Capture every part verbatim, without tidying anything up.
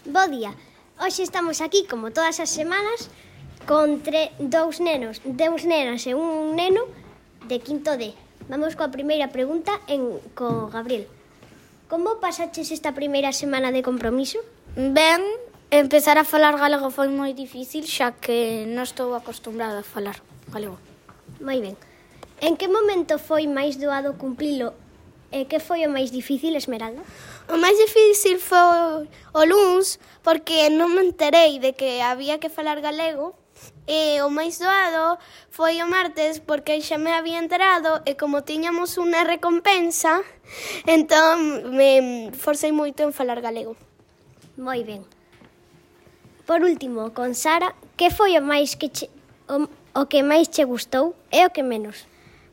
Bo día. Hoxe estamos aquí, como todas as semanas, con tre- dous nenos, dous nenas e un neno de quinto D. Vamos coa primeira pregunta en, co Gabriel. Como pasaches esta primeira semana de compromiso? Ben, empezar a falar galego foi moi difícil, xa que non estou acostumbrada a falar galego. Moi ben. En que momento foi máis doado cumplilo e que foi o máis difícil, Esmeralda? O máis difícil foi o luns, porque non me enterei de que había que falar galego, e o máis doado foi o martes, porque xa me había enterado, e como tiñamos unha recompensa, entón me forcei moito en falar galego. Moi ben. Por último, con Sara, que foi o máis que che, o, o que máis che gustou e o que menos?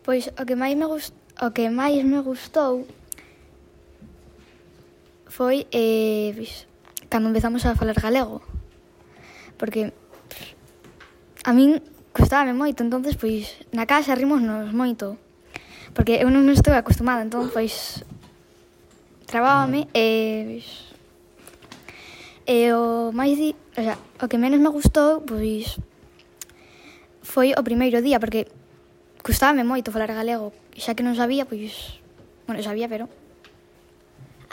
Pois o que máis me gust, o que máis me gustou foi eh, pois, cando empezamos a falar galego. Porque a min custábame moito, entonces pois na casa rimosnos moito. Porque eu non estou acostumada, entón pois trabábame e pois, e o máis di, o sea, o que menos me gustou pois foi o primeiro día, porque custábame moito falar galego, xa que non sabía, pois, bueno, sabía, pero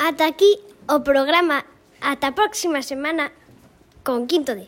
Ata aquí o programa. Ata a próxima semana con quinto D.